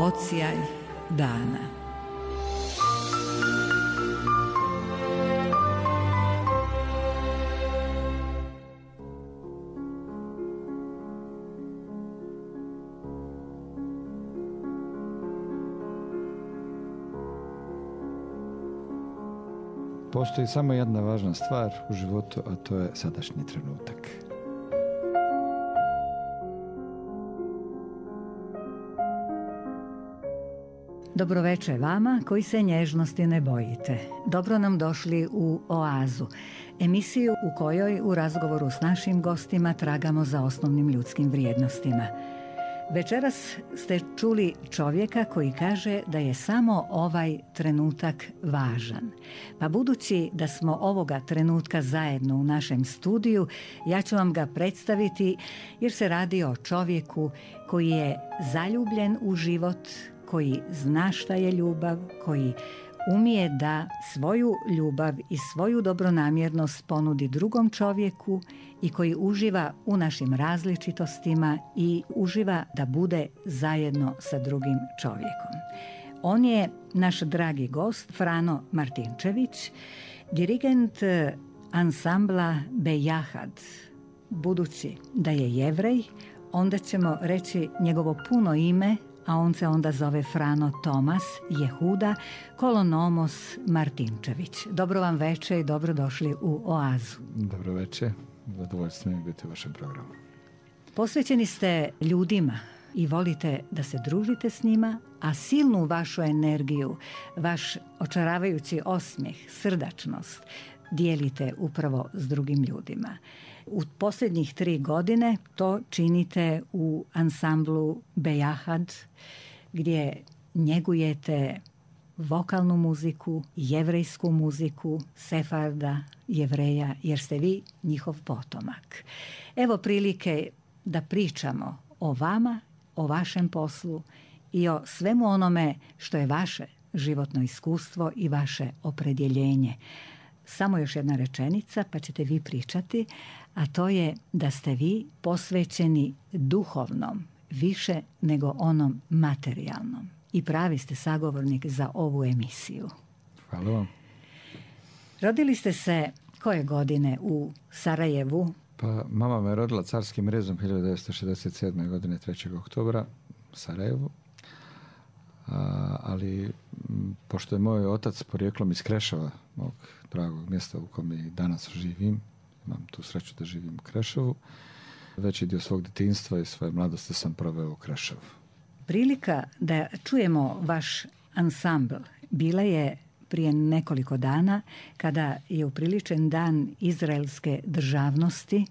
Odsjaj dana. Postoji samo jedna važna stvar u životu, a to je sadašnji trenutak. Dobroveče vama koji se nježnosti ne bojite. Dobro nam došli u Oazu, emisiju u kojoj u razgovoru s našim gostima tragamo za osnovnim ljudskim vrijednostima. Večeras ste čuli čovjeka koji kaže da je samo ovaj trenutak važan. Pa budući da smo ovoga trenutka zajedno u našem studiju, ja ću vam ga predstaviti jer se radi o čovjeku koji je zaljubljen u život, koji zna šta je ljubav, koji umije da svoju ljubav i svoju dobronamjernost ponudi drugom čovjeku i koji uživa u našim različitostima i uživa da bude zajedno sa drugim čovjekom. On je naš dragi gost Frano Martinčević, dirigent ansambla Bejahad. Budući da je Jevrej, onda ćemo reći njegovo puno ime, a on se onda zove Frano Tomas Jehuda Kolonomos Martinčević. Dobro vam veče i dobrodošli u Oazu. Dobro veče, zadovoljstvo mi biti u vašem programu. Posvećeni ste ljudima i volite da se družite s njima, a silnu vašu energiju, vaš očaravajući osmijeh, srdačnost dijelite upravo s drugim ljudima. U posljednjih 3 godine to činite u ansamblu Bejahad, gdje njegujete vokalnu muziku, jevrejsku muziku, sefarda, jevreja, jer ste vi njihov potomak. Evo prilike da pričamo o vama, o vašem poslu i o svemu onome što je vaše životno iskustvo i vaše opredjeljenje. Samo još jedna rečenica pa ćete vi pričati, a to je da ste vi posvećeni duhovnom više nego onom materijalnom. I pravi ste sagovornik za ovu emisiju. Hvala vam. Rodili ste se koje godine u Sarajevu? Pa mama me rodila carskim rezom 1967. godine 3. oktobra u Sarajevu. Ali pošto je moj otac porijeklom iz Kreševa, mog dragog mjesta u kojem i danas živim, imam tu sreću da živim u Kreševu, veći dio svog djetinjstva i svoje mladosti sam proveo u Kreševu. Prilika da čujemo vaš ansambl bila je prije nekoliko dana kada je upriličen dan izraelske državnosti,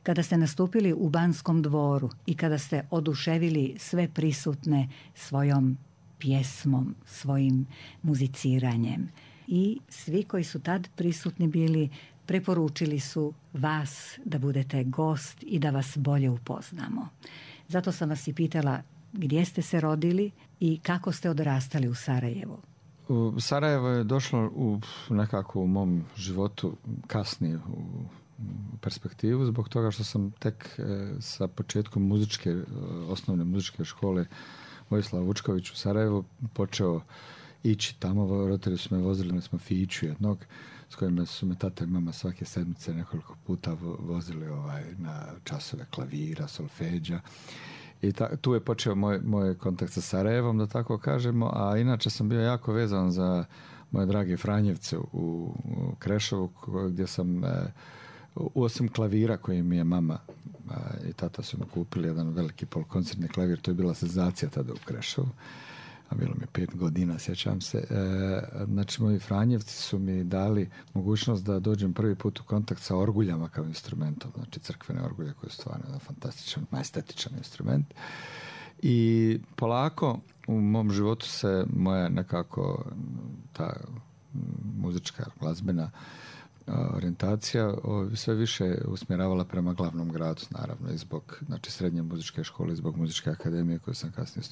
kada ste nastupili u Banskom dvoru i kada ste oduševili sve prisutne svojom pjesmom, svojim muziciranjem. I svi koji su tad prisutni bili preporučili su vas da budete gost i da vas bolje upoznamo. Zato sam vas i pitala gdje ste se rodili i kako ste odrastali u Sarajevu. Sarajevo je došlo nekako u mom životu kasnije u perspektivu, zbog toga što sam tek sa početkom osnovne muzičke škole Vojislava Vučković u Sarajevu počeo ići tamo. Roditelji su me vozili na smo fiću jednog s kojima su me tata i mama svake sedmice nekoliko puta vozili na časove klavira, solfeđa. I tu je počeo moj kontakt sa Sarajevom, da tako kažemo, a inače sam bio jako vezan za moje drage Franjevce u Kreševu, gdje sam osim klavira koji mi je mama i tata su mi kupili jedan veliki polukoncertni klavir, to je bila senzacija tada u Kreševu, a bilo mi 5 godina, sjećam se. Znači, moji Franjevci su mi dali mogućnost da dođem prvi put u kontakt sa orguljama kao instrumentom, znači crkvene orgulje koje su stvarno jedan fantastičan, majestetičan instrument. I polako u mom životu se moja nekako ta muzička, glazbena orijentacija sve više usmjeravala prema glavnom gradu, naravno, i zbog srednje muzičke škole, i zbog muzičke akademije koju sam kasnije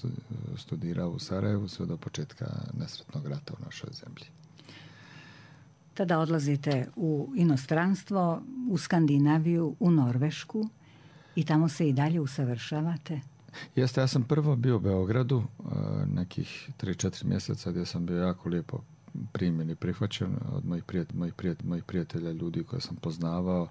studirao u Sarajevu sve do početka nesretnog rata u našoj zemlji. Tada odlazite u inostranstvo, u Skandinaviju, u Norvešku i tamo se i dalje usavršavate? Jeste, ja sam prvo bio u Beogradu nekih 3-4 mjeseca gdje sam bio jako lijepo primjen i prihvaćen od mojih prijatelja, ljudi koje sam poznavao.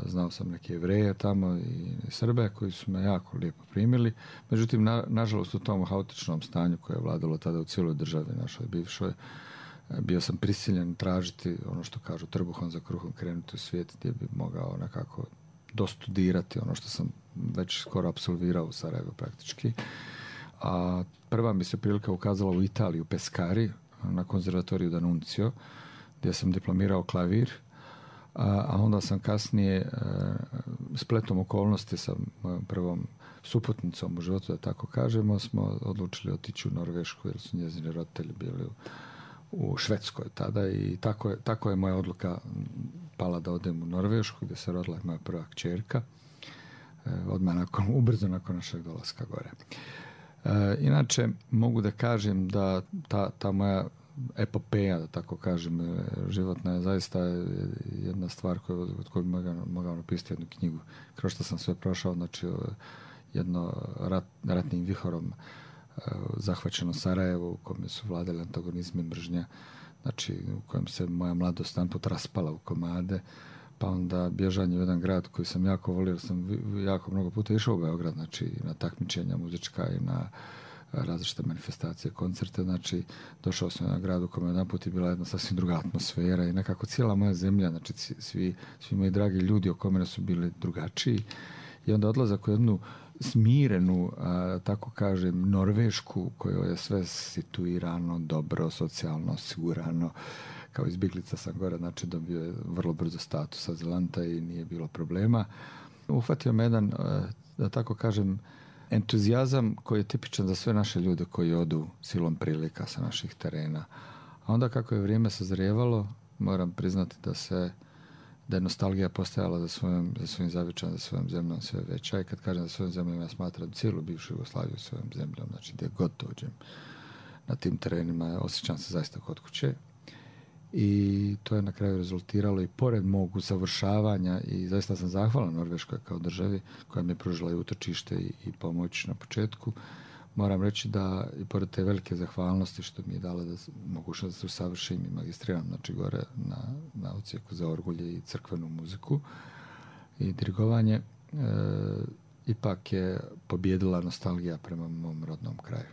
Znao sam neke Jevreje tamo i Srbe koji su me jako lijepo primili. Međutim, nažalost u tom haotičnom stanju koje je vladalo tada u cijeloj državi našoj bivšoj, bio sam prisiljen tražiti ono što kažu trbuhom za kruhom, krenuti u svijet gdje bi mogao nekako dostudirati ono što sam već skoro apsolvirao u Sarajevu praktički. A prva mi se prilika ukazala u Italiji, u Pescari, na konzervatoriju D'Annunzio, gdje sam diplomirao klavir, a onda sam kasnije spletom okolnosti sa mojom prvom suputnicom u životu, da tako kažemo, smo odlučili otići u Norvešku jer su njezini roditelji bili u Švedskoj tada i tako je moja odluka pala da odem u Norvešku gdje se rodila moja prva kćerka odmah ubrzo nakon našeg dolaska gore. Inače mogu da kažem da ta moja epopeja, da tako kažem, životna je zaista jedna stvar od koju bi mogao napisati jednu knjigu. Kroz što sam sve prošao, znači jedno ratnim vihorom zahvaćeno Sarajevo u kojem su vladali antagonizmi, mržnja, znači u kojem se moja mladost jedan put raspala u komade, pa onda bježanje u jedan grad koji sam jako volio, jer sam jako mnogo puta išao u Beograd, znači na takmičenja muzička i na različite manifestacije, koncerte, znači došao sam u jedan grad u kojem jedan put je bila jedna sasvim druga atmosfera i nekako cijela moja zemlja, znači svi moji dragi ljudi oko mene su bili drugačiji i onda odlazak u jednu smirenu, tako kažem, Norvešku u kojoj je sve situirano, dobro, socijalno osigurano. Kao izbjeglica sam gore, znači dobio je vrlo brzo status azilanta i nije bilo problema. Uhvatio me jedan, da tako kažem, entuzijazam koji je tipičan za sve naše ljude koji odu silom prilika sa naših terena. A onda kako je vrijeme sazrijevalo, moram priznati da je nostalgija postajala za svojim zavičajem, za svojom zemljom sve veća. I kad kažem za svojom zemljom, ja smatram cijelu bivšu Jugoslaviju svojom zemljom. Znači, gdje god dođem na tim terenima, osjećam se zaista kod kuće. I to je na kraju rezultiralo i pored mog usavršavanja i zaista sam zahvalan Norveškoj kao državi koja mi je pružila i utočište i pomoć na početku. Moram reći da i pored te velike zahvalnosti što mi je dala mogućnost da se usavršim i magistriram, znači gore na odsjeku za orgulje i crkvenu muziku i dirigovanje, ipak je pobjedila nostalgija prema mom rodnom kraju.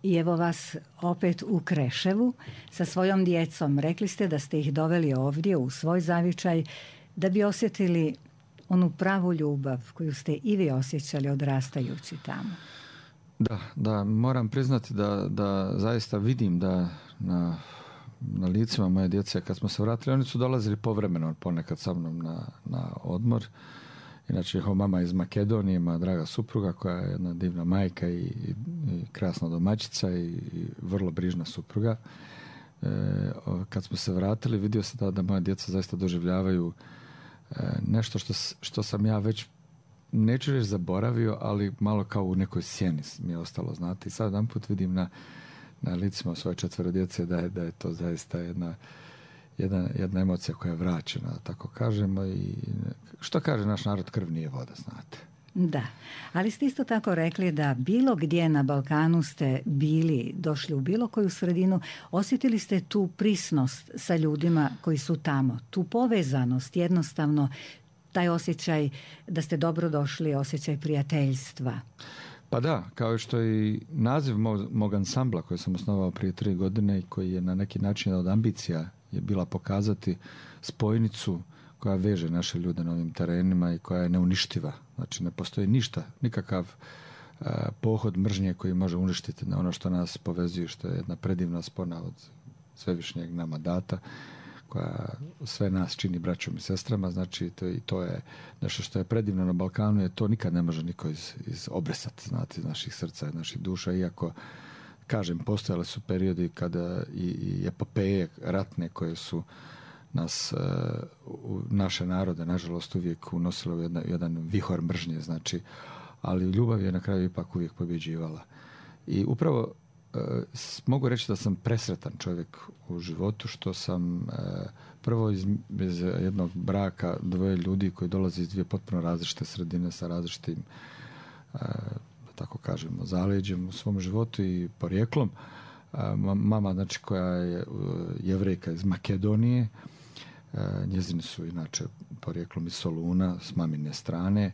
I evo vas opet u Kreševu sa svojom djecom. Rekli ste da ste ih doveli ovdje u svoj zavičaj da bi osjetili onu pravu ljubav koju ste i vi osjećali odrastajući tamo. Da, moram priznati da zaista vidim da na licima moje djece kad smo se vratili, oni su dolazili povremeno ponekad sa mnom na odmor. Inače, njihova mama iz Makedonije, moja draga supruga koja je jedna divna majka i krasna domaćica i vrlo brižna supruga. Kad smo se vratili, vidio se da moja djeca zaista doživljavaju nešto što sam ja već, neću reći zaboravio, ali malo kao u nekoj sjeni mi je ostalo, znate. I sad jedan put vidim na licima svoje 4 djece da je to zaista jedna emocija koja je vraćena, tako kažemo, i što kaže naš narod, krv nije voda, znate. Da, ali ste isto tako rekli da bilo gdje na Balkanu ste bili, došli u bilo koju sredinu, osjetili ste tu prisnost sa ljudima koji su tamo, tu povezanost, jednostavno taj osjećaj da ste dobro došli, osjećaj prijateljstva. Pa da, kao što i naziv mog ansambla koji sam osnovao prije 3 godine i koji je na neki način od ambicija je bila pokazati spojnicu koja veže naše ljude na ovim terenima i koja je neuništiva. Znači ne postoji ništa, nikakav pohod mržnje koji može uništiti na ono što nas povezuje, što je jedna predivna spona od svevišnjeg nama data, koja sve nas čini braćom i sestrama. Znači to je nešto što je predivno na Balkanu, to nikad ne može niko obresati, znate, iz naših srca i naših duša, iako kažem, postojale su periodi kada i epopeje ratne koje su nas, naše narode, nažalost, uvijek unosile u jedan vihor mržnje, znači, ali ljubav je na kraju ipak uvijek pobjeđivala. I upravo mogu reći da sam presretan čovjek u životu, što sam prvo iz jednog braka 2 ljudi koji dolaze iz 2 potpuno različite sredine sa različitim tako kažemo, zaleđem u svom životu i porijeklom. Mama, znači, koja je Jevrejka iz Makedonije, njezini su inače porijeklom iz Soluna s mamine strane,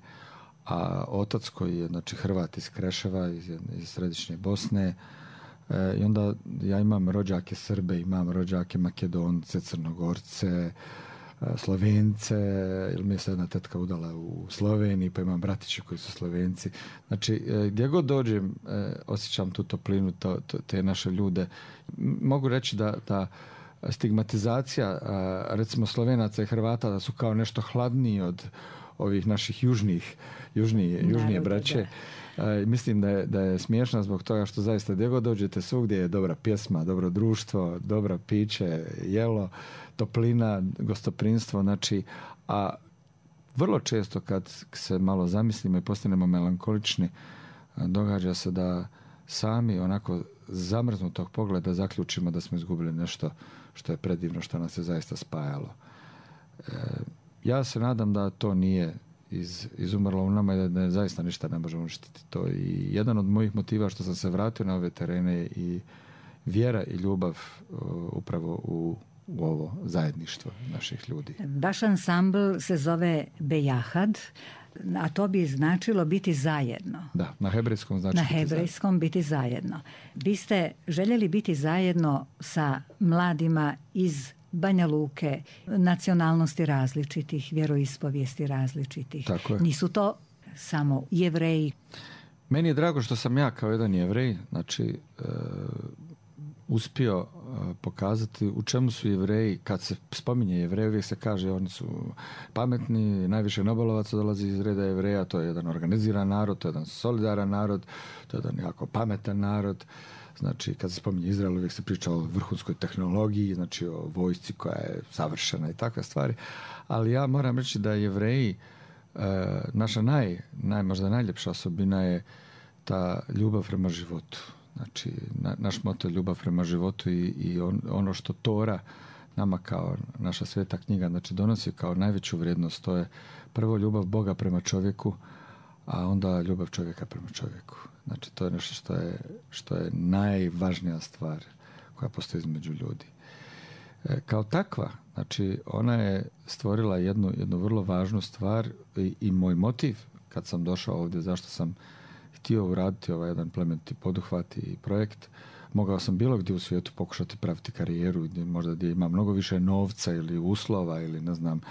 a otac koji je, znači, Hrvat iz Kreševa, iz središnje Bosne. I onda ja imam rođake Srbe, imam rođake Makedonce, Crnogorce, Slovence, ili mi je se jedna tetka udala u Sloveniji, pa imam bratiće koji su Slovenci. Znači, gdje god dođem, osjećam tu toplinu, te naše ljude. Mogu reći da stigmatizacija, recimo, Slovenaca i Hrvata, da su kao nešto hladniji od ovih naših južnije braće. Mislim da je smiješna zbog toga što zaista gdje god dođete, svugdje je dobra pjesma, dobro društvo, dobro piće, jelo, toplina, gostoprinstvo, znači, a vrlo često kad se malo zamislimo i postanemo melankolični, događa se da sami onako zamrznutog pogleda zaključimo da smo izgubili nešto što je predivno, što nas je zaista spajalo. Ja se nadam da to nije izumrlo u nama i da zaista ništa ne može uništiti to. I jedan od mojih motiva što sam se vratio na ove terene je i vjera i ljubav upravo u ovo zajedništvo naših ljudi. Vaš ansambl se zove Bejahad, a to bi značilo biti zajedno. Da, na hebrejskom znači biti zajedno. Vi ste željeli biti zajedno sa mladima iz Banja Luke, nacionalnosti različitih, vjeroispovijesti različitih. Tako je. Nisu to samo Jevreji. Meni je drago što sam ja kao jedan Jevrej, znači, uspio pokazati u čemu su Jevreji. Kad se spominje Jevreji, uvijek se kaže oni su pametni, najviše Nobelovaca dolazi iz reda Jevreja, to je jedan organiziran narod, to je jedan solidaran narod, to je jedan jako pametan narod. Znači, kad se spominje Izrael, uvijek se priča o vrhunskoj tehnologiji, znači o vojsci koja je savršena i takve stvari. Ali ja moram reći da Jevreji, naša možda najljepša osobina je ta ljubav prema životu. Znači, naš moto je ljubav prema životu i ono što Tora nama kao naša sveta knjiga, znači, donosi kao najveću vrijednost, to je prvo ljubav Boga prema čovjeku, a onda ljubav čovjeka prema čovjeku. Znači, to je nešto što je najvažnija stvar koja postoji između ljudi. Kao takva, znači, ona je stvorila jednu vrlo važnu stvar i moj motiv kad sam došao ovdje, zašto sam htio uraditi ovaj jedan plemeniti poduhvat i projekt. Mogao sam bilo gdje u svijetu pokušati praviti karijeru, gdje ima mnogo više novca ili uslova ili ne znam,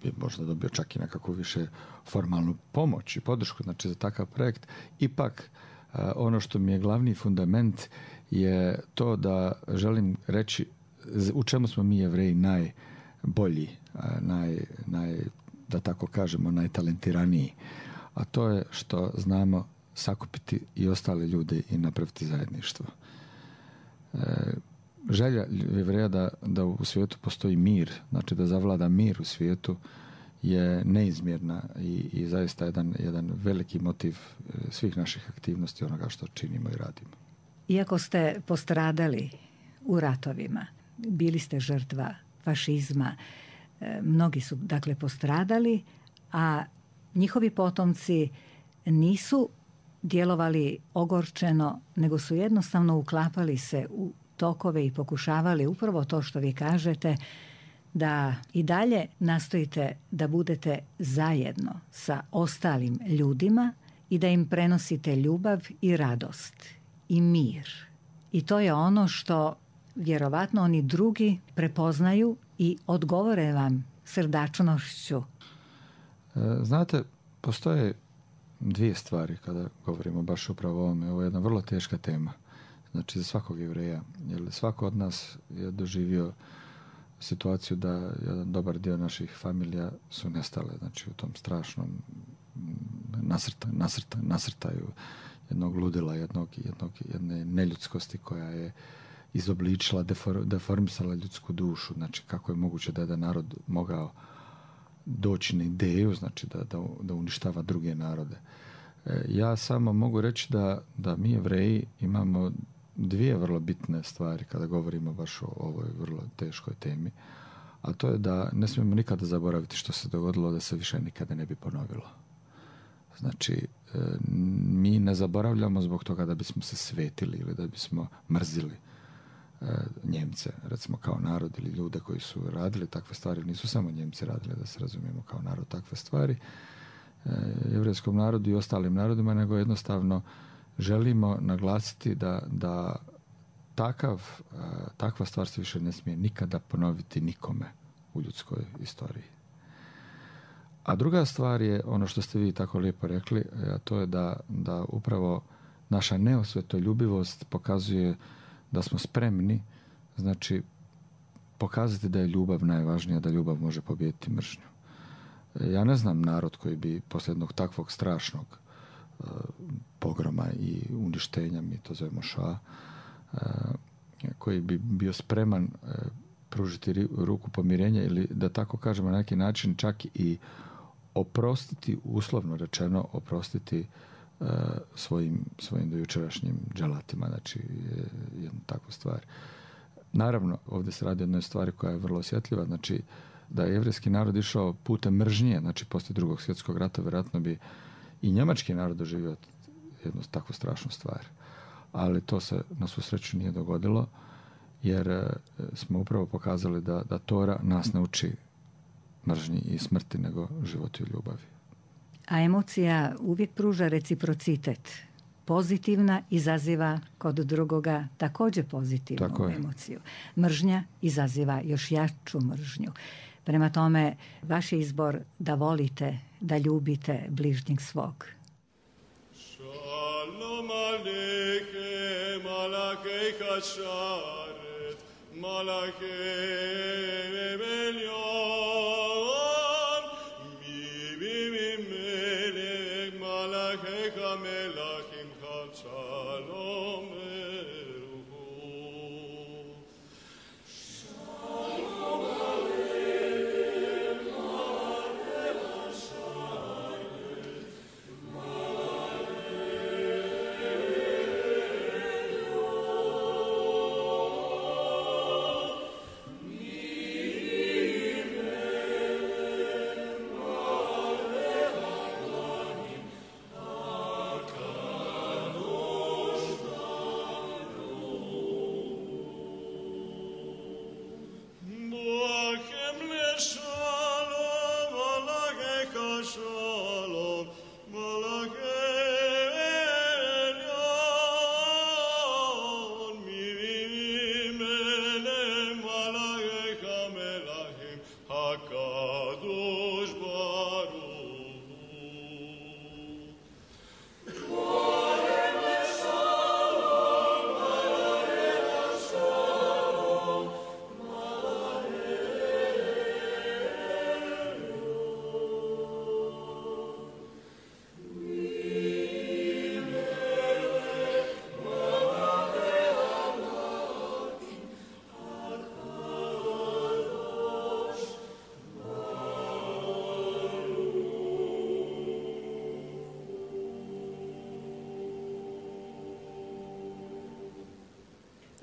bi možda dobio čak i nekakvu više formalnu pomoć i podršku, znači, za takav projekt. Ipak, ono što mi je glavni fundament je to da želim reći u čemu smo mi Jevreji najbolji, da tako kažemo, najtalentiraniji. A to je što znamo sakupiti i ostale ljude i napraviti zajedništvo. Želja Jevreja da u svijetu postoji mir, znači da zavlada mir u svijetu, je neizmjerna i zaista jedan veliki motiv svih naših aktivnosti, onoga što činimo i radimo. Iako ste postradali u ratovima, bili ste žrtva fašizma, mnogi su, dakle, postradali, a njihovi potomci nisu djelovali ogorčeno, nego su jednostavno uklapali se u tokove i pokušavali upravo to što vi kažete, da i dalje nastojite da budete zajedno sa ostalim ljudima i da im prenosite ljubav i radost i mir. I to je ono što vjerovatno oni drugi prepoznaju i odgovore vam srdačnošću. Znate, postoje dvije stvari kada govorimo baš upravo o ovome. Ovo je jedna vrlo teška tema. Znači, za svakog Jevreja. Jer svako od nas je doživio situaciju da jedan dobar dio naših familija su nestale. Znači, u tom strašnom nasrtaju jednog ludila, jedne neljudskosti koja je izobličila, deformisala ljudsku dušu. Znači, kako je moguće da jedan narod mogao doći na ideju, znači da uništava druge narode. Ja samo mogu reći da mi Jevreji imamo dvije vrlo bitne stvari kada govorimo baš o ovoj vrlo teškoj temi, a to je da ne smijemo nikada zaboraviti što se dogodilo, da se više nikada ne bi ponovilo. Znači, mi ne zaboravljamo zbog toga da bismo se svetili ili da bismo mrzili Njemce, recimo kao narod ili ljude koji su radili takve stvari. Nisu samo Njemci radili, da se razumijemo, kao narod takve stvari jevrejskom narodu i ostalim narodima, nego jednostavno želimo naglasiti da takva stvar se više ne smije nikada ponoviti nikome u ljudskoj istoriji. A druga stvar je ono što ste vi tako lijepo rekli, a to je da upravo naša neosvetoljubivost pokazuje da smo spremni, znači, pokazati da je ljubav najvažnija, da ljubav može pobijediti mržnju. Ja ne znam narod koji bi poslije jednog takvog strašnog pogroma i uništenja, mi to zovemo ša, koji bi bio spreman pružiti ruku pomirenja ili, da tako kažemo, na neki način čak i oprostiti, uslovno rečeno, oprostiti svojim dojučerašnjim dželatima, znači jednu takvu stvar. Naravno, ovdje se radi o jednoj stvari koja je vrlo osjetljiva, znači da je jevrijski narod išao putem mržnje, znači poslije Drugog svjetskog rata, vjerojatno bi i njemački narod doživio jednu takvu strašnu stvar. Ali to se na svu sreću nije dogodilo, jer smo upravo pokazali da Tora nas ne uči mržnji i smrti, nego životu i ljubavi. A emocija uvijek pruža reciprocitet. Pozitivna izaziva kod drugoga također pozitivnu emociju. Mržnja izaziva još jaču mržnju. Prema tome, vaš je izbor da volite, da ljubite bližnjeg svog. Shalom aleichem, malachei kasharet, malachei elyon, mi melech, malachei melachim, shalom eruhu. Shalom aleichem, malachei kasharet,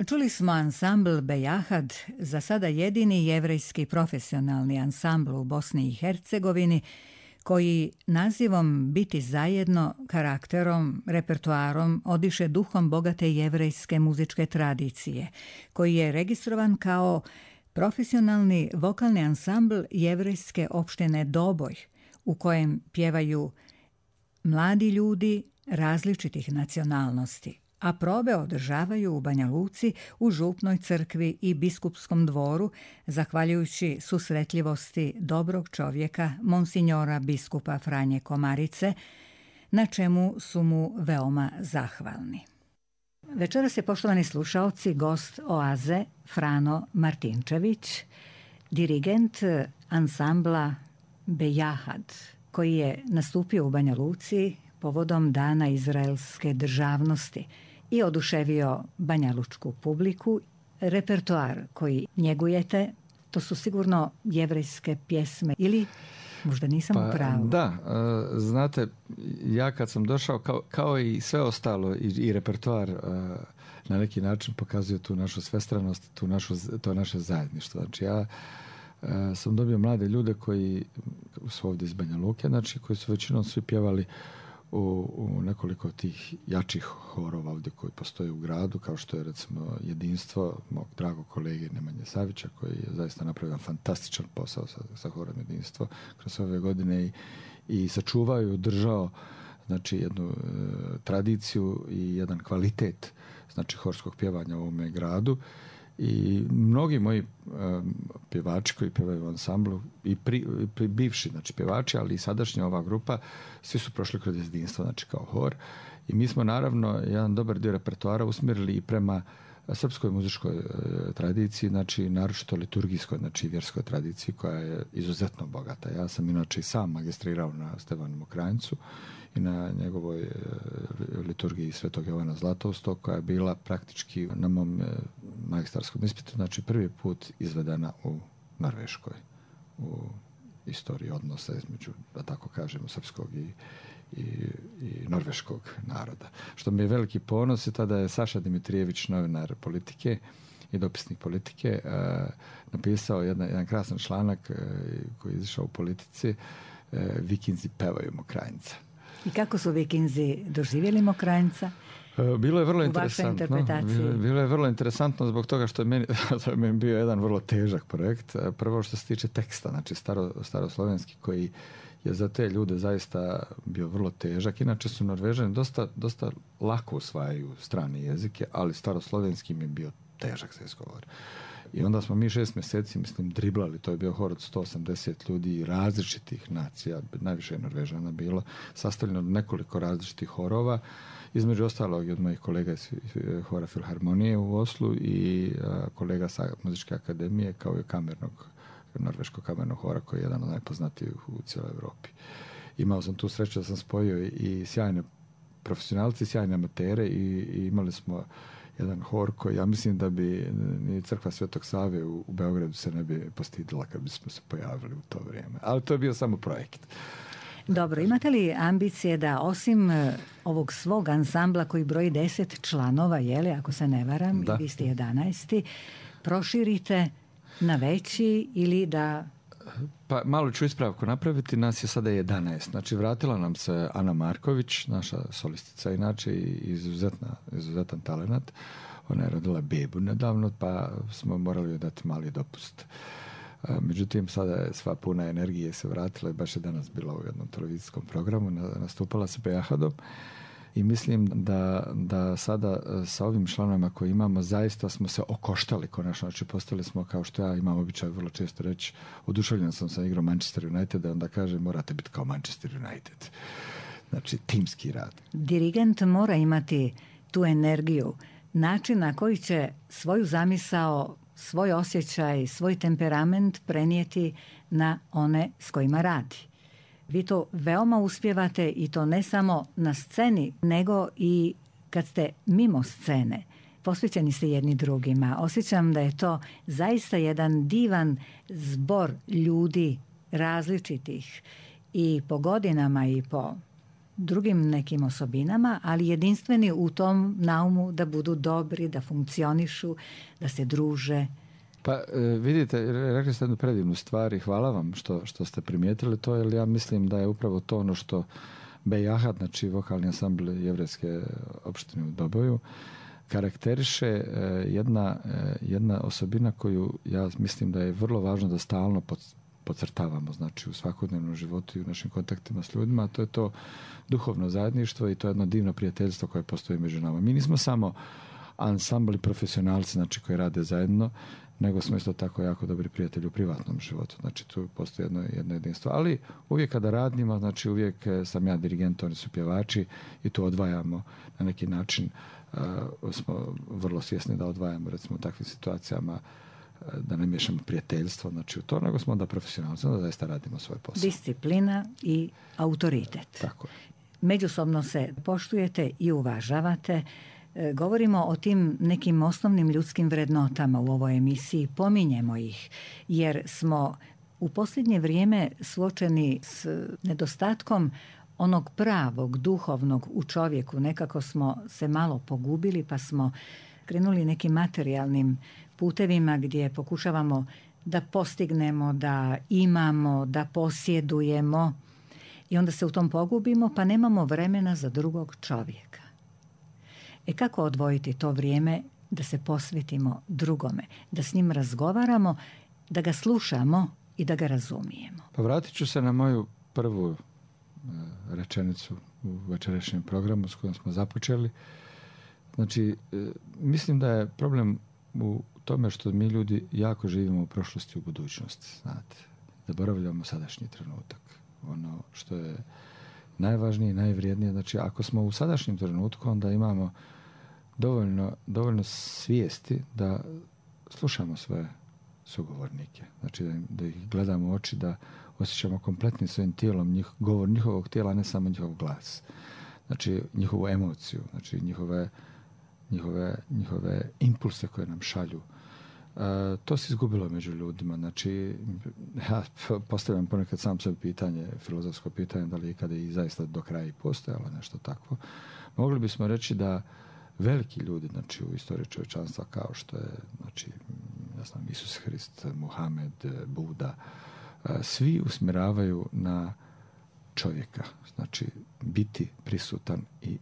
Čuli smo ansambl Bejahad, za sada jedini jevrejski profesionalni ansambl u Bosni i Hercegovini, koji nazivom Biti zajedno, karakterom, repertoarom odiše duhom bogate jevrejske muzičke tradicije, koji je registrovan kao profesionalni vokalni ansambl jevrejske opštine Doboj, u kojem pjevaju mladi ljudi različitih nacionalnosti, a probe održavaju u Banja Luci, u Župnoj crkvi i Biskupskom dvoru, zahvaljujući susretljivosti dobrog čovjeka, monsinjora biskupa Franje Komarice, na čemu su mu veoma zahvalni. Večeras je, poštovani slušaoci, gost Oaze Frano Martinčević, dirigent ansambla Bejahad, koji je nastupio u Banja Luci povodom Dana izraelske državnosti i oduševio banjalučku publiku. Repertoar koji njegujete, to su sigurno jevrejske pjesme, ili možda nisam u pravu? Da, znate, ja kad sam došao, kao i sve ostalo, i repertoar na neki način pokazuje tu našu svestranost, to naše zajedništvo. Znači, ja sam dobio mlade ljude koji su ovdje iz Banja Luke, znači koji su većinom svi pjevali u nekoliko tih jačih horova ovdje koji postoje u gradu, kao što je recimo Jedinstvo mog dragog kolege Nemanje Savića, koji je zaista napravio fantastičan posao sa horom Jedinstvo kroz ove godine i sačuvao i održao znači jednu tradiciju i jedan kvalitet znači horskog pjevanja u ovome gradu. I mnogi moji pjevači koji pjevaju u ansamblu i bivši znači pjevači, ali i sadašnja ova grupa, svi su prošli kroz Jedinstvo, znači kao hor. I mi smo naravno jedan dobar dio repertoara usmjerili i prema srpskoj muzičkoj tradiciji, znači naročito liturgijskoj, znači vjerskoj tradiciji koja je izuzetno bogata. Ja sam inače i sam magistrirao na Stevanu Mokranjcu i na njegovoj liturgiji Svetog Jovana Zlatoustog, koja je bila praktički na mom magistarskom ispitu, znači prvi put izvedena u Norveškoj, u istoriji odnosa između, da tako kažemo, srpskog i norveškog naroda. Što mi je veliki ponos i tada je Saša Dimitrijević, novinar Politike i dopisnik Politike, napisao jedan krasan članak koji je izašao u Politici, Vikinzi pevaju Mokranjca. I kako su Vikinzi doživjeli Mokranjca? Bilo je vrlo interesantno. Bilo je vrlo interesantno zbog toga što je meni bio jedan vrlo težak projekt. Prvo što se tiče teksta, znači staroslovenski, koji je za te ljude zaista bio vrlo težak. Inače su Norvežani dosta lako usvajaju strane jezike, ali staroslovenski mi je bio težak za izgovor. I onda smo mi 6 mjeseci, mislim, driblali. To je bio hor od 180 ljudi različitih nacija, najviše je Norvežana bilo, sastavljeno od nekoliko različitih horova, između ostalog i od mojih kolega iz hora Filharmonije u Oslu i kolega sa Muzičke akademije, kao i norveškog kamernog hora, koji je jedan od najpoznatijih u cijeloj Europi. Imao sam tu sreću da sam spojio i sjajne profesionalci, sjajne amatere i imali smo jedan hor koji, ja mislim da bi ni crkva Svetog Save u Beogradu se ne bi postidila kad bismo se pojavili u to vrijeme. Ali to je bio samo projekt. Dobro, imate li ambicije da osim ovog svog ansambla koji broji 10 članova, ako se ne varam, vi ste 11, proširite na veći ili da... Pa malo ću ispravku napraviti, nas je sada 11. Znači vratila nam se Ana Marković, naša solistica, inače izuzetan talenat. Ona je rodila bebu nedavno, pa smo morali joj dati mali dopust. Međutim, sada je sva puna energije se vratila i baš je danas bila u jednom televizijskom programu, nastupala se Bejahadom. I mislim da sada sa ovim članovima koje imamo zaista smo se okoštali konačno. Znači postali smo, kao što ja imam običaj vrlo često reći, oduševljen sam sa igrom Manchester United, onda kaže morate biti kao Manchester United. Znači timski rad. Dirigent mora imati tu energiju, način na koji će svoju zamisao, svoj osjećaj, svoj temperament prenijeti na one s kojima radi. Vi to veoma uspijevate i to ne samo na sceni, nego i kad ste mimo scene. Posvećeni ste jedni drugima. Osjećam da je to zaista jedan divan zbor ljudi različitih i po godinama i po drugim nekim osobinama, ali jedinstveni u tom naumu da budu dobri, da funkcionišu, da se druže. Pa vidite, rekli ste jednu predivnu stvar i hvala vam što ste primijetili to, jer ja mislim da je upravo to ono što Bejahad, znači vokalni ansambl jevrejske opštine u Doboju, karakteriše jedna osobina koju ja mislim da je vrlo važno da stalno podcrtavamo, znači u svakodnevnom životu i u našim kontaktima s ljudima, a to je to duhovno zajedništvo i to je jedno divno prijateljstvo koje postoji među nama. Mi nismo samo ansambli profesionalci, znači koji rade zajedno, nego smo isto tako jako dobri prijatelji u privatnom životu. Znači tu postoji jedno jedinstvo. Ali uvijek kada radimo, znači uvijek sam ja dirigent, oni su pjevači i tu odvajamo na neki način, smo vrlo svjesni da odvajamo recimo u takvim situacijama, da ne miješamo prijateljstvo, znači u to, nego smo onda profesionalci, da zaista radimo svoj posao. Disciplina i autoritet. Tako je. Međusobno se poštujete i uvažavate. Govorimo o tim nekim osnovnim ljudskim vrednotama u ovoj emisiji, pominjemo ih, jer smo u posljednje vrijeme suočeni s nedostatkom onog pravog, duhovnog u čovjeku. Nekako smo se malo pogubili, pa smo krenuli nekim materijalnim putevima gdje pokušavamo da postignemo, da imamo, da posjedujemo. I onda se u tom pogubimo, pa nemamo vremena za drugog čovjeka. Kako odvojiti to vrijeme da se posvetimo drugome, da s njim razgovaramo, da ga slušamo i da ga razumijemo? Pa vratit ću se na moju prvu rečenicu u večerašnjem programu s kojom smo započeli. Znači, mislim da je problem u tome što mi ljudi jako živimo u prošlosti i u budućnosti. Znate, zaboravljamo sadašnji trenutak. Ono što je najvažnije i najvrijednije. Znači, ako smo u sadašnjem trenutku, onda imamo dovoljno svijesti da slušamo svoje sugovornike. Znači, da ih gledamo u oči, da osjećamo kompletnim svojim tijelom govor njihovog tijela, a ne samo njihov glas. Znači, njihovu emociju, znači njihove impulse koje nam šalju. To se izgubilo među ljudima. Znači, ja postavljam ponekad sam sebi pitanje, filozofsko pitanje, da li ikada i zaista do kraja i postojalo nešto takvo. Mogli bismo reći da veliki ljudi, znači u istoriji čovječanstva, kao što je, znači, ja znam, Isus Hrist, Muhamed, Buda, svi usmjeravaju na čovjeka. Znači, biti prisutan i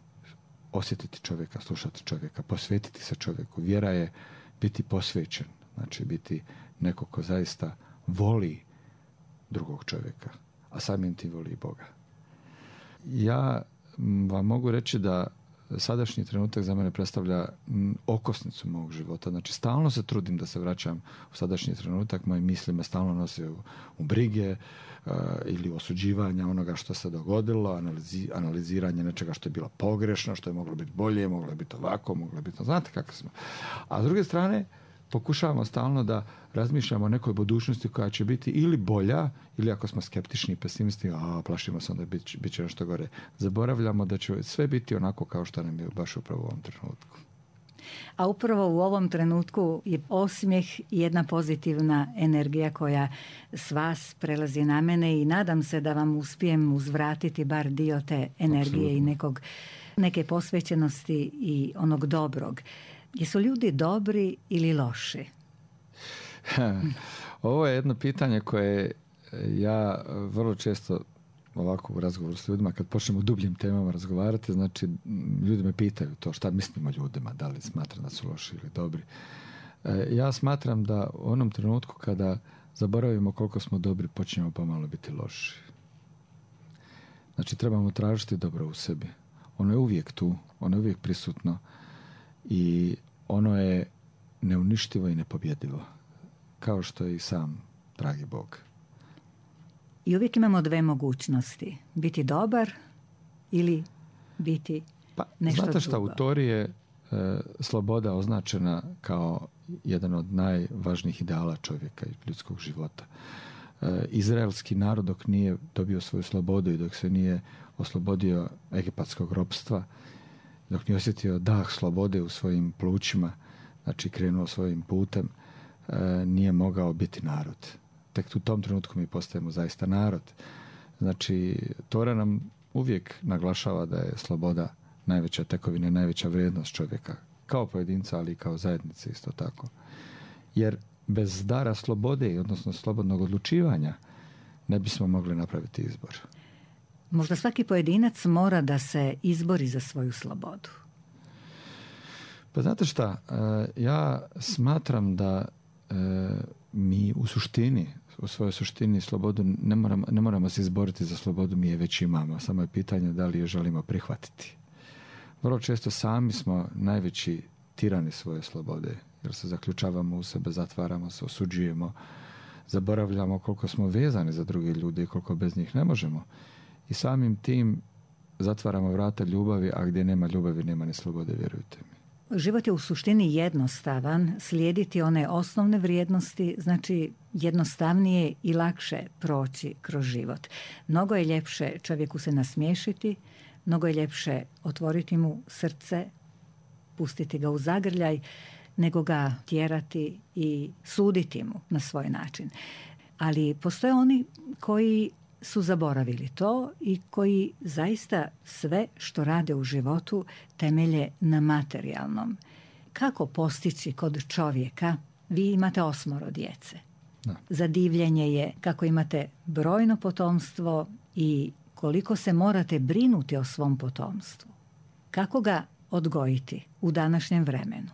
osjetiti čovjeka, slušati čovjeka, posvetiti se čovjeku. Vjera je biti posvećen, znači biti neko ko zaista voli drugog čovjeka, a samim tim voli i Boga. Ja vam mogu reći da sadašnji trenutak za mene predstavlja okosnicu mog života. Znači, stalno se trudim da se vraćam u sadašnji trenutak. Moje misli me stalno nose u brige ili osuđivanja onoga što se dogodilo, analiziranje nečega što je bilo pogrešno, što je moglo biti bolje, moglo je biti ovako, moglo je biti... Znate kako smo. A s druge strane, pokušavamo stalno da razmišljamo o nekoj budućnosti koja će biti ili bolja, ili ako smo skeptični i pesimisti, plašimo se, onda bit će nešto gore. Zaboravljamo da će sve biti onako kao što nam je baš upravo u ovom trenutku. A upravo u ovom trenutku je osmijeh i jedna pozitivna energija koja s vas prelazi na mene i nadam se da vam uspijem uzvratiti bar dio te energije. Absolutno. I neke posvećenosti i onog dobrog. Jesu ljudi dobri ili loši? Ovo je jedno pitanje koje ja vrlo često ovako u razgovoru s ljudima, kad počnemo u dubljim temama razgovarati, znači ljudi me pitaju to šta mislimo o ljudima, da li smatram da su loši ili dobri. Ja smatram da u onom trenutku kada zaboravimo koliko smo dobri, počinjemo pomalo biti loši. Znači, trebamo tražiti dobro u sebi. Ono je uvijek tu, ono je uvijek prisutno i ono je neuništivo i nepobjedivo, kao što je i sam dragi Bog. I uvijek imamo dve mogućnosti. Biti dobar ili biti nešto drugo. Znate šta, u Tori je sloboda označena kao jedan od najvažnijih ideala čovjeka i ljudskog života. Izraelski narod dok nije dobio svoju slobodu i dok se nije oslobodio egipatskog ropstva, dok nije osjetio dah slobode u svojim plućima, znači krenuo svojim putem, nije mogao biti narod. Tek u tom trenutku mi postajemo zaista narod. Znači, Tora nam uvijek naglašava da je sloboda najveća tekovina i najveća vrijednost čovjeka. Kao pojedinca, ali i kao zajednice isto tako. Jer bez dara slobode, odnosno slobodnog odlučivanja, ne bismo mogli napraviti izbor. Možda svaki pojedinac mora da se izbori za svoju slobodu. Pa znate šta, ja smatram da mi u svojoj suštini slobodu ne moramo se izboriti za slobodu, mi je već imamo. Samo je pitanje da li je želimo prihvatiti. Vrlo često sami smo najveći tirani svoje slobode, jer se zaključavamo u sebe, zatvaramo se, osuđujemo, zaboravljamo koliko smo vezani za druge ljude i koliko bez njih ne možemo. I samim tim zatvaramo vrata ljubavi, a gdje nema ljubavi nema ni slobode, vjerujte mi. Život je u suštini jednostavan, slijediti one osnovne vrijednosti, znači jednostavnije i lakše proći kroz život. Mnogo je ljepše čovjeku se nasmiješiti, mnogo je ljepše otvoriti mu srce, pustiti ga u zagrljaj, nego ga tjerati i suditi mu na svoj način. Ali postoje oni koji su zaboravili to i koji zaista sve što rade u životu temelje na materijalnom. Kako postići kod čovjeka? Vi imate 8 djece. Da. Zadivljenje je kako imate brojno potomstvo i koliko se morate brinuti o svom potomstvu. Kako ga odgojiti u današnjem vremenu?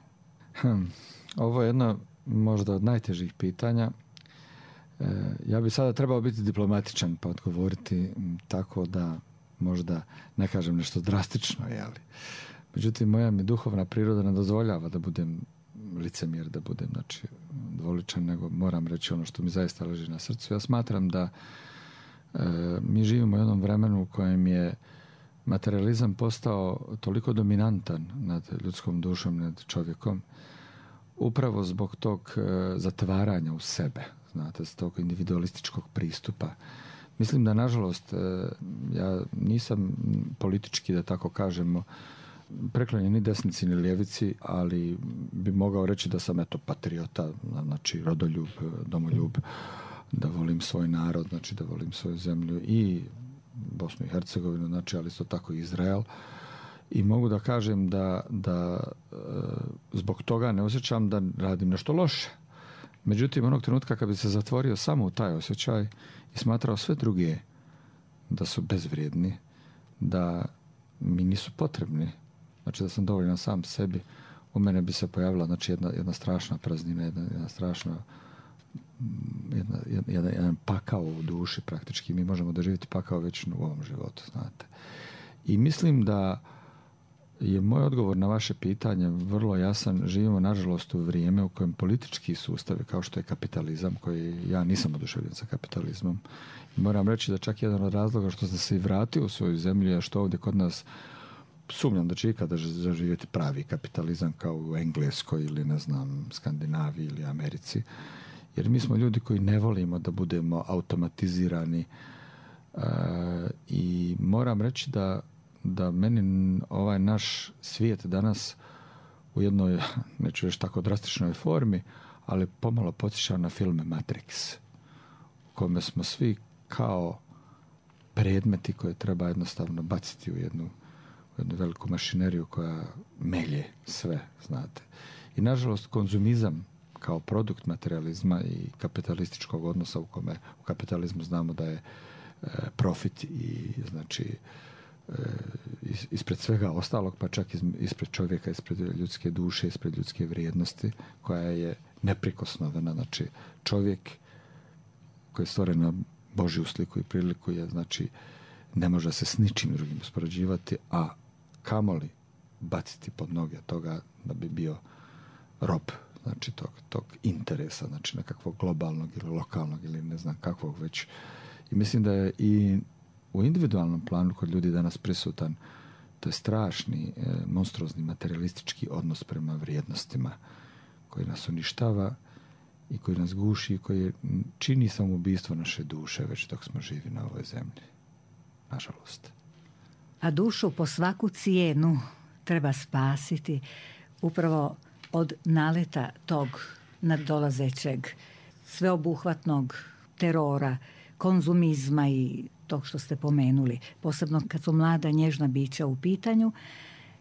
Ovo je jedno možda od najtežih pitanja. Ja bi sada trebao biti diplomatičan pa odgovoriti tako da možda ne kažem nešto drastično, jeli. Međutim, moja mi duhovna priroda ne dozvoljava da budem licemjer, da budem dvoličan, nego moram reći ono što mi zaista leži na srcu. Ja smatram da mi živimo u jednom vremenu u kojem je materializam postao toliko dominantan nad ljudskom dušom, nad čovjekom, upravo zbog tog zatvaranja u sebe, znate, s tog individualističkog pristupa. Mislim da, nažalost, ja nisam politički, da tako kažemo, preklonjen ni desnici ni ljevici, ali bi mogao reći da sam patriota, znači rodoljub, domoljub, da volim svoj narod, znači da volim svoju zemlju i Bosnu i Hercegovinu, znači, ali isto tako i Izrael. I mogu da kažem da zbog toga ne osjećam da radim nešto loše. Međutim, onog trenutka kad bi se zatvorio samo u taj osjećaj i smatrao sve druge da su bezvrijedni, da mi nisu potrebni, znači da sam dovoljan sam sebi, u mene bi se pojavila, znači, jedna strašna praznina, jedna strašna jedan pakao u duši praktički. Mi možemo doživjeti pakao već u ovom životu, znate. I mislim da je moj odgovor na vaše pitanje vrlo jasan. Živimo, nažalost, u vrijeme u kojem politički sustavi, kao što je kapitalizam, koji ja nisam oduševljen sa kapitalizmom, i moram reći da čak jedan od razloga što sam se i vratio u svoju zemlju je što ovdje kod nas sumnjam da će ikada zaživjeti pravi kapitalizam kao u Engleskoj ili, ne znam, Skandinaviji ili Americi. Jer mi smo ljudi koji ne volimo da budemo automatizirani i moram reći da meni ovaj naš svijet danas u jednoj, neću reći tako drastičnoj formi, ali pomalo podsjeća na filme Matrix, u kome smo svi kao predmeti koje treba jednostavno baciti u jednu veliku mašineriju koja melje sve, znate. I nažalost konzumizam kao produkt materializma i kapitalističkog odnosa u kome u kapitalizmu znamo da je profit i, znači, ispred svega ostalog, pa čak ispred čovjeka, ispred ljudske duše, ispred ljudske vrijednosti koja je neprikosnovena. Znači, čovjek koji je stvoren na Božju sliku i priliku je, znači, ne može se s ničim drugim uspoređivati, a kamoli baciti pod noge toga da bi bio rob, znači tog interesa, znači nekakvog globalnog ili lokalnog ili ne znam kakvog već. I mislim da je i u individualnom planu kod ljudi danas prisutan to je strašni, monstruozni materialistički odnos prema vrijednostima koji nas uništava i koji nas guši i koji čini samoubistvo naše duše već dok smo živi na ovoj zemlji. Nažalost. A dušu po svaku cijenu treba spasiti upravo od naleta tog nadolazećeg sveobuhvatnog terora, konzumizma i tog što ste pomenuli, posebno kad su mlada nježna bića u pitanju,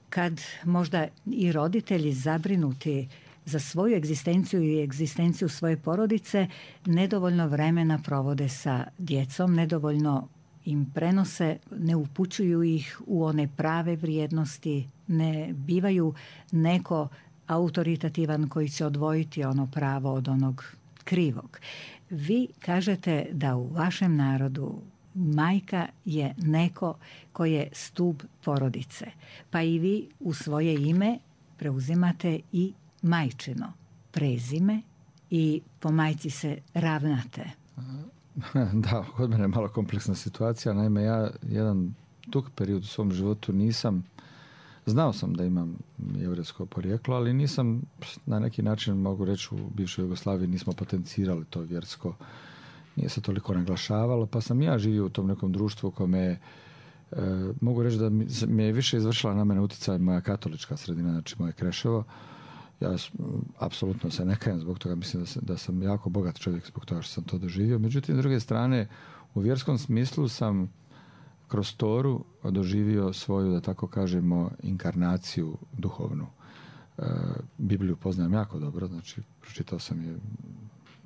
kad možda i roditelji zabrinuti za svoju egzistenciju i egzistenciju svoje porodice nedovoljno vremena provode sa djecom, nedovoljno im prenose, ne upućuju ih u one prave vrijednosti, ne bivaju neko autoritativan koji će odvojiti ono pravo od onog krivog. Vi kažete da u vašem narodu majka je neko koji je stup porodice, pa i vi u svoje ime preuzimate i majčino prezime i po majci se ravnate. Da, kod mene je malo kompleksna situacija. Naime, ja jedan dug period u svom životu znao sam da imam jevrejsko porijeklo, ali nisam na neki način, mogu reći, u bivšoj Jugoslaviji nismo potencirali to vjersko. Nije se toliko naglašavalo, pa sam ja živio u tom nekom društvu kome mogu reći da mi je više izvršila na mene utjecaj moja katolička sredina, znači moje Kreševo. Ja apsolutno se ne kajem zbog toga, mislim da sam jako bogat čovjek zbog toga što sam to doživio. Međutim, s druge strane, u vjerskom smislu sam kroz Toru doživio svoju, da tako kažemo, inkarnaciju duhovnu. Bibliju poznajem jako dobro, znači pročitao sam je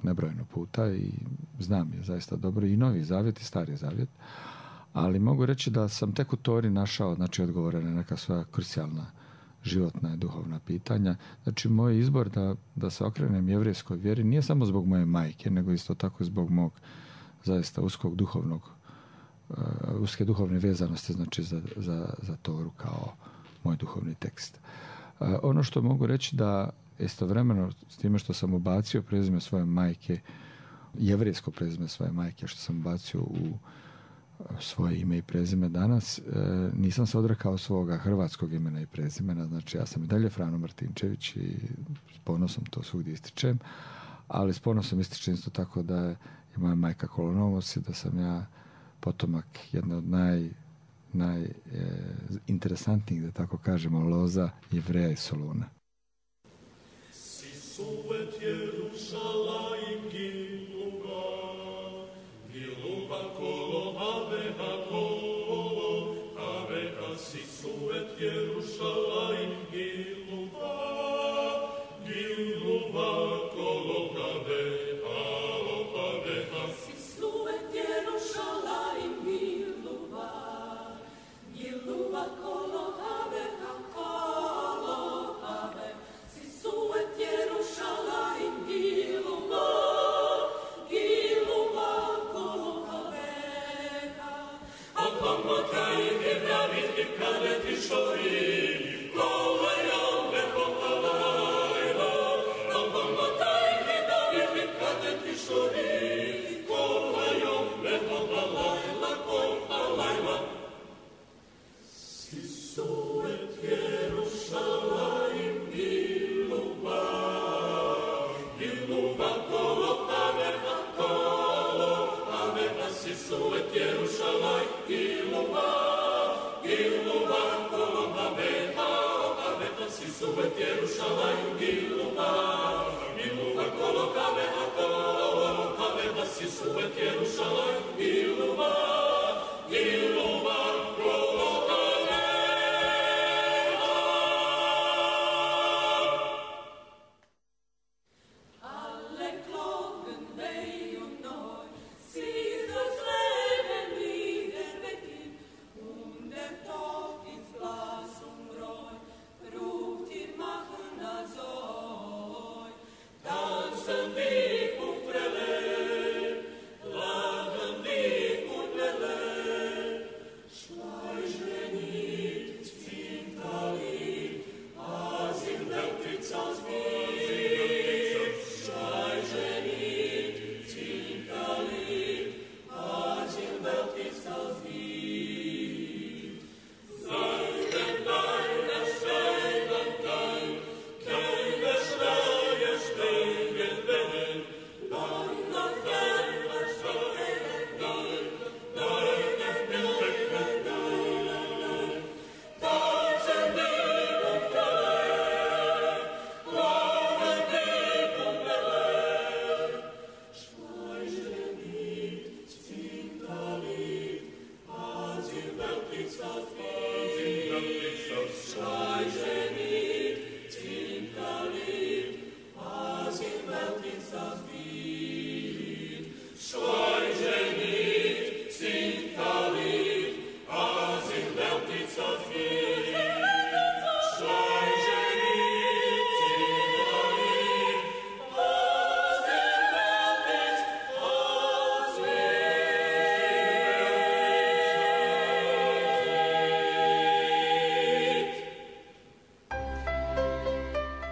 nebrojeno puta i znam je zaista dobro, i Novi Zavjet i Stari Zavjet. Ali mogu reći da sam tek u Tori našao, znači, odgovore na neka svoja krucijalna životna i duhovna pitanja. Znači, moj izbor da se okrenem jevrejskoj vjeri nije samo zbog moje majke, nego isto tako zbog mog zaista uske duhovne vezanosti, znači za Toru kao moj duhovni tekst. Ono što mogu reći da istovremeno s time što sam ubacio prezime svoje majke, jevrejsko prezime svoje majke, što sam ubacio u svoje ime i prezime danas, nisam se odrekao svoga hrvatskog imena i prezimena, znači ja sam i dalje Frano Martinčević i s ponosom to svugdje ističem, ali s ponosom ističem isto tako da je moja majka Kolonovos i da sam ja potomak jedne od najinteresantnijih, da tako kažemo, loza Jevreja i Soluna.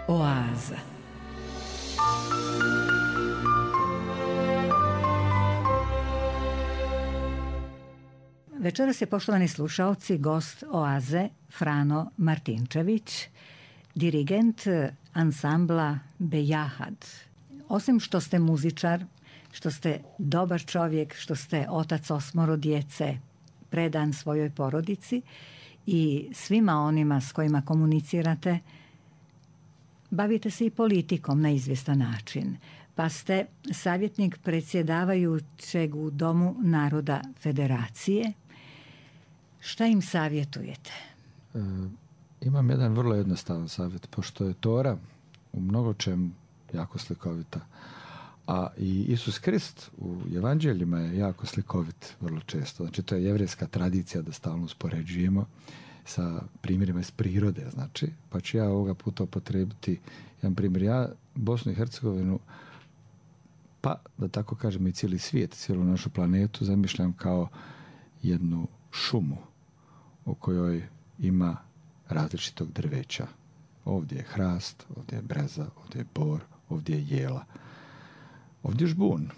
Oaza. Večeras je, poštovani slušaoci, gost Oaze Frano Martinčević, dirigent ansambla Bejahad. Osim što ste muzičar, što ste dobar čovjek, što ste otac 8 djece, predan svojoj porodici i svima onima s kojima komunicirate, bavite se i politikom na izvjestan način, pa ste savjetnik predsjedavajućeg u Domu naroda Federacije. Šta im savjetujete? Imam jedan vrlo jednostavan savjet, pošto je Tora u mnogo čem jako slikovita, A i Isus Krist u evanđeljima je jako slikovit vrlo često. Znači, to je jevrejska tradicija da stalno uspoređujemo sa primjerima iz prirode, znači. Pa ću ja ovoga puta upotrebiti jedan primjer. Ja Bosnu i Hercegovinu, pa da tako kažem i cijeli svijet, cijelu našu planetu zamišljam kao jednu šumu u kojoj ima različitog drveća. Ovdje je hrast, ovdje je breza, ovdje je bor, ovdje je jela. Ovdje je žbun.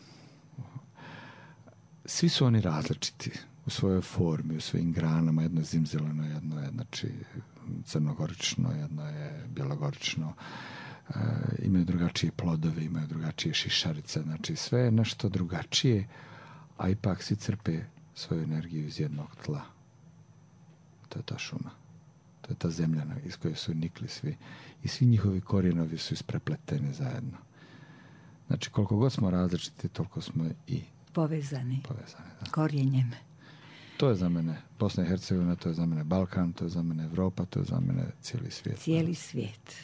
Svi su oni različiti u svojoj formi, u svojim granama. Jedno je zimzeleno, jedno je znači, crnogorično, jedno je bjelogorično. Imaju drugačije plodove, imaju drugačije šišarice. Znači sve je nešto drugačije, a ipak svi crpe svoju energiju iz jednog tla. To je ta šuma. To je ta zemlja iz koje su nikli svi. I svi njihovi korijenovi su isprepleteni zajedno. Znači, koliko god smo različiti, toliko smo i povezani da. Korijenjem. To je za mene Bosna i Hercegovina, to je za mene Balkan, to je za mene Evropa, to je za mene cijeli svijet. Cijeli svijet.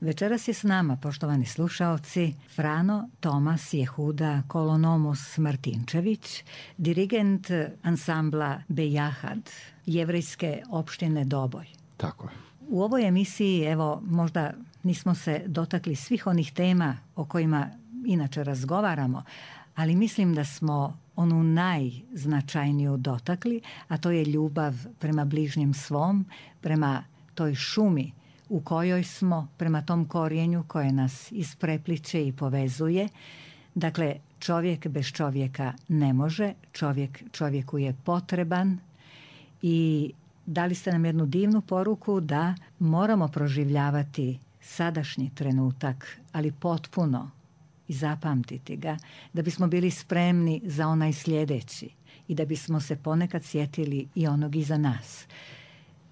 Večeras je s nama, poštovani slušaoci, Frano Tomas Jehuda Kolonomos Martinčević, dirigent ansambla Bejahad, jevrejske opštine Doboj. Tako je. U ovoj emisiji, evo, možda nismo se dotakli svih onih tema o kojima inače razgovaramo, ali mislim da smo onu najznačajniju dotakli, a to je ljubav prema bližnjem svom, prema toj šumi u kojoj smo, prema tom korijenju koje nas isprepliče i povezuje. Dakle, čovjek bez čovjeka ne može, čovjek čovjeku je potreban i dali ste nam jednu divnu poruku da moramo proživljavati sadašnji trenutak, ali potpuno i zapamtiti ga, da bismo bili spremni za onaj sljedeći i da bismo se ponekad sjetili i onog iza nas.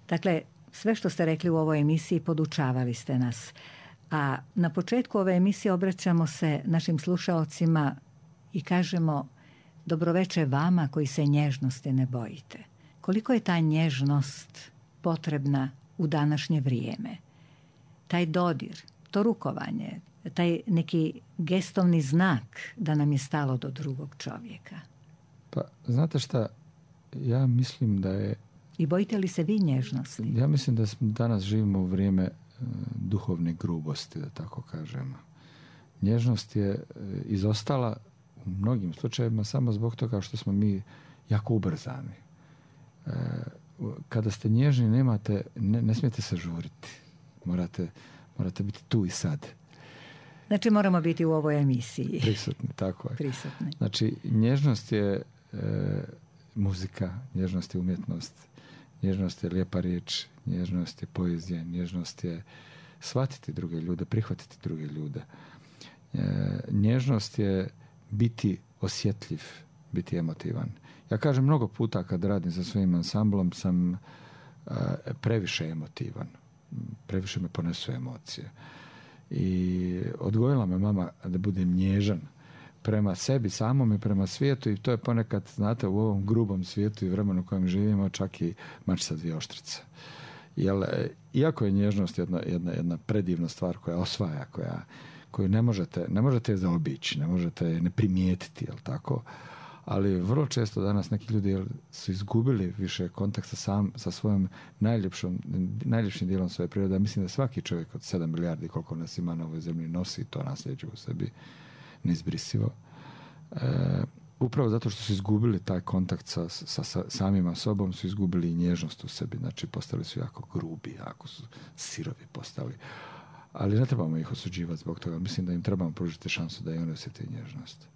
Dakle, sve što ste rekli u ovoj emisiji podučavali ste nas. A na početku ove emisije obraćamo se našim slušaocima i kažemo dobroveče vama koji se nježnosti ne bojite. Koliko je ta nježnost potrebna u današnje vrijeme? Taj dodir, to rukovanje, taj neki gestovni znak da nam je stalo do drugog čovjeka. Pa, znate šta, ja mislim da je... I bojite li se vi nježnosti? Ja mislim da danas živimo u vrijeme duhovne grubosti, da tako kažem. Nježnost je izostala u mnogim slučajevima samo zbog toga što smo mi jako ubrzani. Kada ste nježni, ne smijete se žuriti. Morate biti tu i sad. Znači moramo biti u ovoj emisiji. Prisutni, tako je. Prisutni. Znači, nježnost je muzika, nježnost je umjetnost, nježnost je lijepa riječ, nježnost je poezija, nježnost je shvatiti druge ljude, prihvatiti druge ljude. Nježnost je biti osjetljiv, biti emotivan. Ja kažem mnogo puta kad radim sa svojim ansamblom sam previše emotivan. Previše me ponesu emocije. I odgojila me mama da budem nježan prema sebi samom i prema svijetu i to je ponekad, znate, u ovom grubom svijetu i vremenu u kojem živimo čak i mač sa dvije oštrice. Jer, iako je nježnost jedna predivna stvar koja osvaja, koju ne možete je zaobići, ne možete je ne primijetiti, jel tako? Ali vrlo često danas neki ljudi su izgubili više kontakt sa svojom najljepšim dijelom svoje prirode. Mislim da svaki čovjek od 7 milijardi koliko nas ima na ovoj zemlji nosi to nasljeđe u sebi neizbrisivo. Upravo zato što su izgubili taj kontakt sa samima sobom, su izgubili i nježnost u sebi. Znači postali su jako grubi, jako su sirovi postali. Ali ne trebamo ih osuđivati zbog toga. Mislim da im trebamo pružiti šansu da i oni osjete nježnost.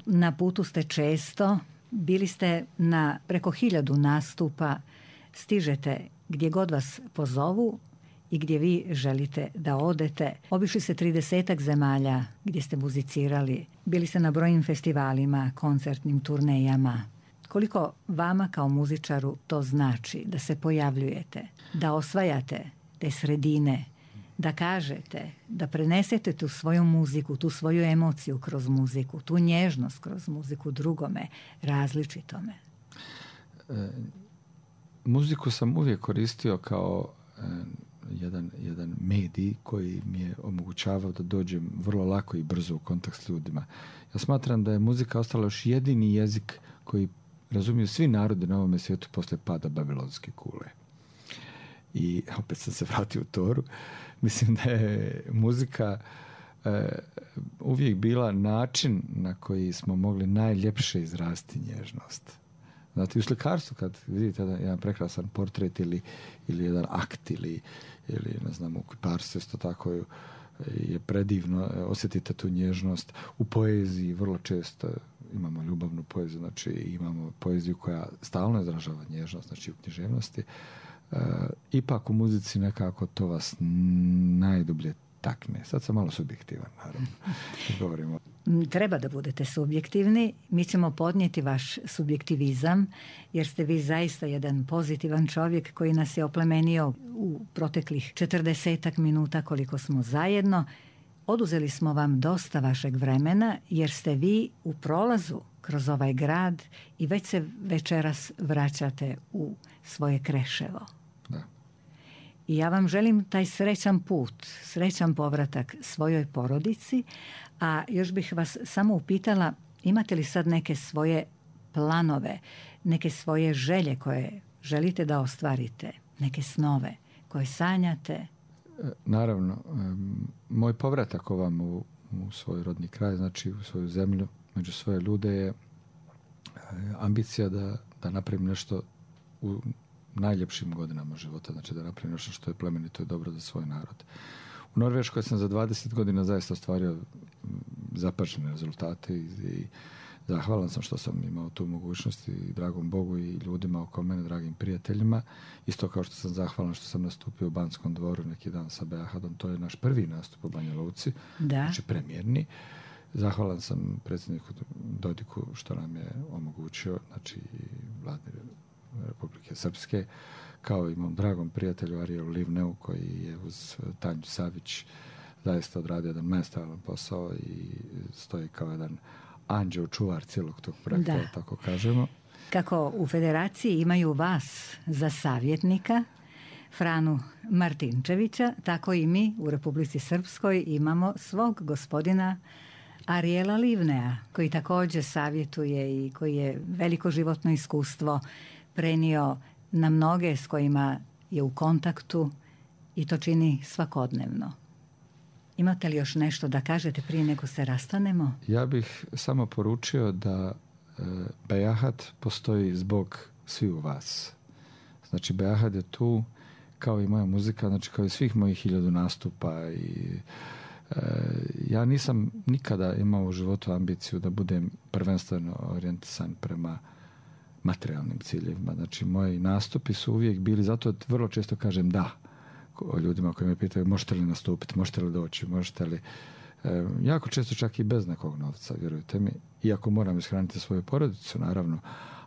Na putu ste često, bili ste na preko 1000 nastupa, stižete gdje god vas pozovu i gdje vi želite da odete. Obišli ste 30 zemalja gdje ste muzicirali, bili ste na brojnim festivalima, koncertnim turnejama. Koliko vama kao muzičaru to znači da se pojavljujete, da osvajate te sredine, da kažete, da prenesete tu svoju muziku, tu svoju emociju kroz muziku, tu nježnost kroz muziku drugome, različitome? Muziku sam uvijek koristio kao jedan medij koji mi je omogućavao da dođem vrlo lako i brzo u kontakt s ljudima. Ja smatram da je muzika ostala još jedini jezik koji razumiju svi narodi na ovome svijetu posle pada Babilonske kule. I opet sam se vratio u Toru. Mislim da je muzika uvijek bila način na koji smo mogli najljepše izrasti nježnost. Znate, u slikarstvu kad vidite jedan prekrasan portret ili jedan akt ili ne znam, u kiparstvu isto tako je predivno, osjetite tu nježnost. U poeziji vrlo često imamo ljubavnu poeziju, znači imamo poeziju koja stalno izražava nježnost, znači u književnosti. Ipak u muzici nekako to vas najdublje takne. Sad sam malo subjektivan, naravno. Govorimo. Treba da budete subjektivni. Mi ćemo podnijeti vaš subjektivizam, jer ste vi zaista jedan pozitivan čovjek koji nas je oplemenio u proteklih 40 minuta koliko smo zajedno. Oduzeli smo vam dosta vašeg vremena, jer ste vi u prolazu kroz ovaj grad i već se večeras vraćate u svoje Kreševo. Da. I ja vam želim taj srećan put, srećan povratak svojoj porodici, a još bih vas samo upitala, imate li sad neke svoje planove, neke svoje želje koje želite da ostvarite, neke snove koje sanjate? Naravno, moj povratak ovam u svoj rodni kraj, znači u svoju zemlju, među svoje ljude je ambicija da napravim nešto u najljepšim godinama života, znači da napravim nešto što je plemenito i dobro za svoj narod. U Norveškoj sam za 20 godina zaista ostvario zapažene rezultate i zahvalan sam što sam imao tu mogućnost i dragom Bogu i ljudima oko mene, dragim prijateljima. Isto kao što sam zahvalan što sam nastupio u Banskom dvoru neki dan sa Beahadom. To je naš prvi nastup u Banja Luci, znači premijerni. Zahvalan sam predsjedniku Dodiku što nam je omogućio, znači Vladi Republike Srpske, kao i mom dragom prijatelju Arielu Livneu, koji je uz Tanju Savić zaista odradio jedan majestralan posao i stoji kao jedan anđeo čuvar cijelog tog projekta, tako kažemo. Kako u Federaciji imaju vas za savjetnika, Franu Martinčevića, tako i mi u Republici Srpskoj imamo svog gospodina Ariela Livnea, koji također savjetuje i koji je veliko životno iskustvo prenio na mnoge s kojima je u kontaktu i to čini svakodnevno. Imate li još nešto da kažete prije nego se rastanemo? Ja bih samo poručio da Beahad postoji zbog svi u vas. Znači Beahad je tu kao i moja muzika, znači kao i svih mojih 1000 nastupa i ja nisam nikada imao u životu ambiciju da budem prvenstveno orijentisan prema materijalnim ciljevima. Znači moji nastupi su uvijek bili, zato vrlo često kažem da o ljudima koji me pitaju možete li nastupiti, možete li doći, možete li... jako često čak i bez nekog novca, vjerujte mi, iako moram ishraniti svoju porodicu, naravno,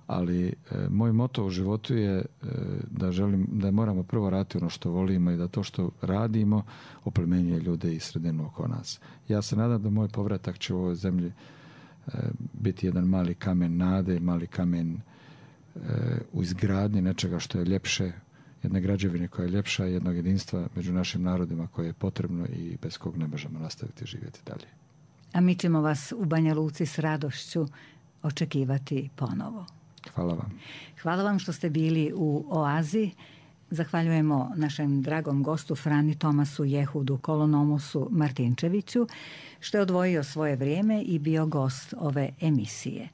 ali moj moto u životu je da moramo prvo raditi ono što volimo i da to što radimo oplemenjuje ljude i sredinu oko nas. Ja se nadam da moj povratak će u ovoj zemlji biti jedan mali kamen nade, mali kamen u izgradnji nečega što je ljepše, jedne građevine koja je ljepša, jednog jedinstva među našim narodima koje je potrebno i bez kog ne možemo nastaviti živjeti dalje. A mi ćemo vas u Banja Luci s radošću očekivati ponovo. Hvala vam. Hvala vam što ste bili u Oazi. Zahvaljujemo našem dragom gostu Frani Tomasu Jehudu Kolonomosu Martinčeviću što je odvojio svoje vrijeme i bio gost ove emisije.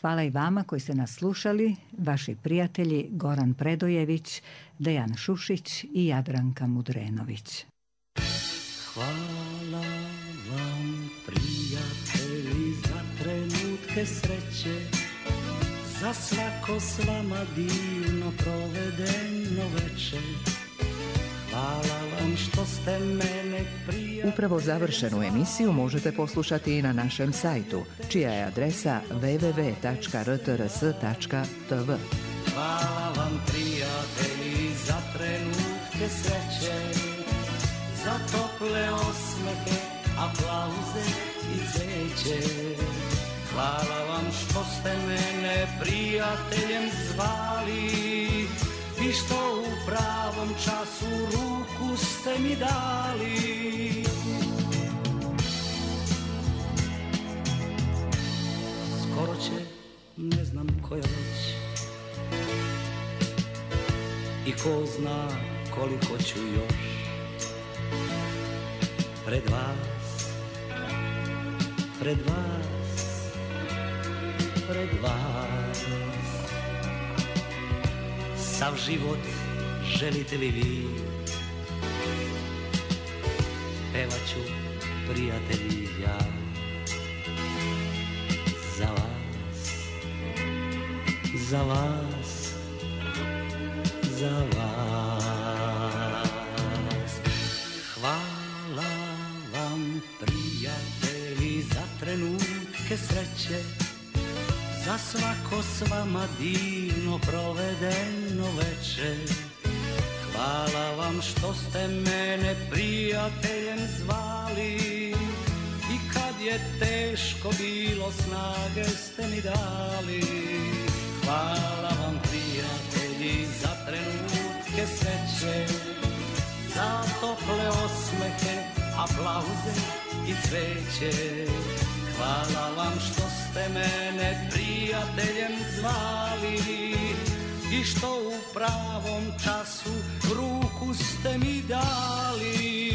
Hvala i vama koji ste nas slušali, vaši prijatelji Goran Predojević, Dejan Šušić i Jadranka Mudrenović. Hvala vam prijatelji za trenutke sreće, za svako s vama divno provedeno večer. Hvala vam što ste mene prijatelji. Upravo završenu emisiju možete poslušati i na našem sajtu, čija je adresa www.rtrs.tv. Hvala vam prijatelji za trenutke sreće, za tople osmehe, aplauze i cveće. Hvala vam što ste mene prijateljem zvali i što u pravom času ruku ste mi dali. Skoro će, ne znam koja već, i ko zna koliko ću još pred vas, pred vas, pred vas. Sav život želite li vi, pevaću prijatelji ja za vas, za vas, za vas. Hvala vam prijatelji za trenutke sreće, za svako s vama divno provedeno večer. Hvala vam što ste mene prijateljem zvali i kad je teško bilo snage ste mi dali. Hvala vam prijatelji za trenutke sreće, za tople osmehe, aplauze i cveće. Hvala vam što ste mene prijateljem zvali i što u pravom času ruku ste mi dali.